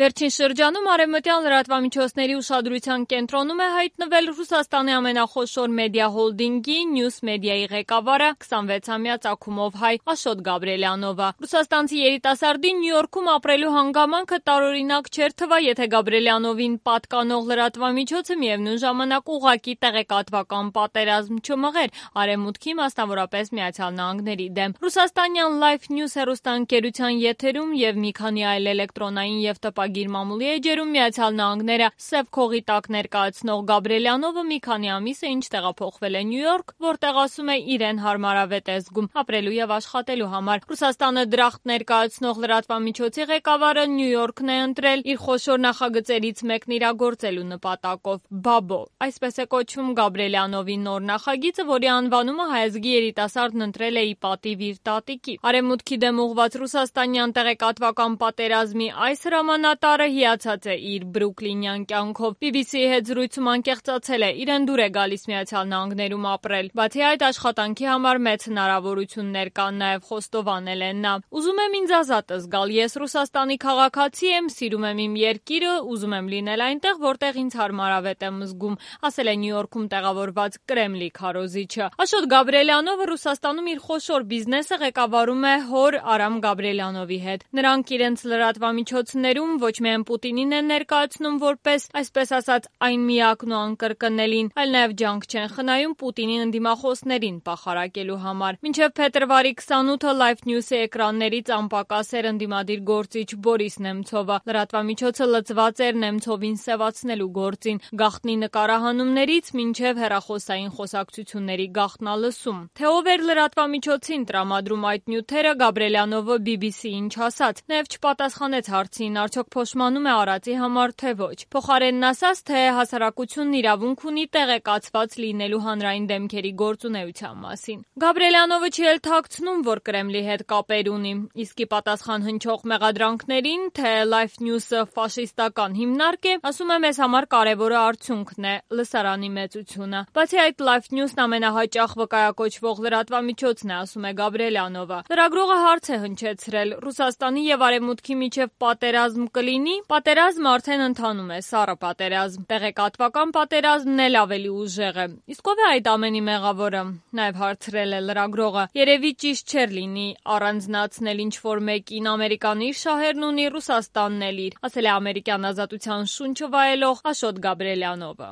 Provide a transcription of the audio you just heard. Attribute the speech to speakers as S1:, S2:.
S1: Վերջին շրջանում արևմտյան լրատվամիջոցների ուշադրության կենտրոնում է հայտնվել Ռուսաստանի ամենախոշոր մեդիա հոլդինգի News Media-ի ղեկավարը 26-ամյա ծագումով հայ Աշոտ Գաբրելյանովը։ Ռուսաստանցի երիտասարդի Նյու Յորքում ապրելու հանգամանքը տարօրինակ չէր թվա, եթե Գաբրելյանովին պատկանող լրատվամիջոցը միևնույն ժամանակ ուղղակի տեղեկատվական պատերազմ չմղեր Արևմուտքի, մասնավորապես Միացյալ Նահանգների դեմ։ Ռուսաստանյան Life News հեռուստաընկերության եթերում եւ մի քանի այլ էլեկտրոնային եւ տպագիր մամուլի էջերում Միացյալ Նահանգները սև քողի տակ ներկայացնող Գաբրելյանովը մի քանի ամիս է ինչ տեղափոխվել է Նյու Յորք, որտեղ ասում է իրեն հարմարավետ է զգում ապրելու եւ աշխատելու համար։ Ռուսաստանը դրախտ ներկայացնող լրատվամիջոցի ղեկավարը Նյու Յորքն է ընտրել իր խոշոր նախագծերից մեկն իրագործելու նպատակով։ Բաբո, այսպես է կոչվում Գաբրելյանովի նոր նախագիծը, որի անվանումը հայազգի երիտասարդն ընտրել է ի պատիվ իր տատիկի։ Արևմուտքի դեմ ուղղված ռուսաստանյան տեղեկատվական պատերազմի այս հրամանատարը հիացած է իր բրուկլինյան կյանքով։ BBC-ի հետ զրույցում անկեղծացել է, իրեն դուր է գալիս Միացյալ Նահանգներում ապրել։ Բացի այդ, աշխատանքի համար մեծ հնարավորություններ կան, նաև խոստովանել է նա։ Ուզում եմ ինձ ազատ զգալ, ես Ռուսաստանի քաղաքացի եմ, սիրում եմ իմ երկիրը, ուզում եմ լինել այնտեղ, որտեղ ինձ հարմարավետ եմ զգում, ասել է Նյու Յորքում տեղավորված Կրեմլի քարոզիչը։ Աշոտ Գաբրելյանովը Ռուսաստանում իր խոշոր բիզնեսը ղեկավարում է հոր Արամ Գաբրելյանովի հետ։ Նրանք իրենց լրատվամիջոցներում ոչ միայն Պուտինին են ներկայացնում որպես, այսպես ասած, այն միակն ու անկրկնելին, այլ նաև ջանք չեն խնայում Պուտինի ընդդիմախոսներին պախարակելու համար։ Մինչև փետրվարի 28-ը Life News-ի էկրաններից անպակաս էր ընդդիմադիր գործիչ Բորիս Նեմցովը։ Լրատվամիջոցը լծված էր Նեմցովին սևացնելու գործին, գաղտնի նկարահանումներից մինչև հեռախոսային խոսակցությունների գաղտնալսում։ Թե ով էր լրատվամիջոցին տրամադրում այդ նյութերը, Գաբրելյանովը BBC-ին չասաց, նաև չպատասխանեց հարցին, արդյոք փոշմանում է արածի համար, թե ոչ։ Փոխարենն ասաց, թե հասարակությունն իրավունք ունի տեղեկացված լինելու հանրային դեմքերի գործունեության մասին։ Գաբրելյանովը չի էլ թաքցնում, որ Կրեմլի հետ կապեր ունի, իսկ ի պատասխան հնչող մեղադրանքներին, թե Life News-ը ֆաշիստական հիմնարկ է, ասում է մեզ համար կարևորը արդյունքն է, լսարանի մեծությունը։ Բացի այդ, Life News-ն ամենահաճախ վկայակոչվող լրատվամիջոցն է, ասում է Գաբրելյանովը։ Լրագրողը հարց է հնչեցրել. Ռուսաստանի եւ Արևմուտքի միջև պատերազմ կլինի։ Պատերազմը արդեն ընթանում է, սառը պատերազմ։ Տեղեկատվական պատերազմն էլ ավելի ուժեղ է։ Իսկ ով է այդ ամենի մեղավորը։ Նաև հարցրել է լրագրողը։ Երևի ճիշտ չէր լինի առանձնացնել ինչ-որ մեկին, Ամերիկան իր շահերն ունի, Ռուսաստանն էլ իր, ասել է ամերիկյան ազատության շունչը վայելող Աշոտ Գաբրելյանովը։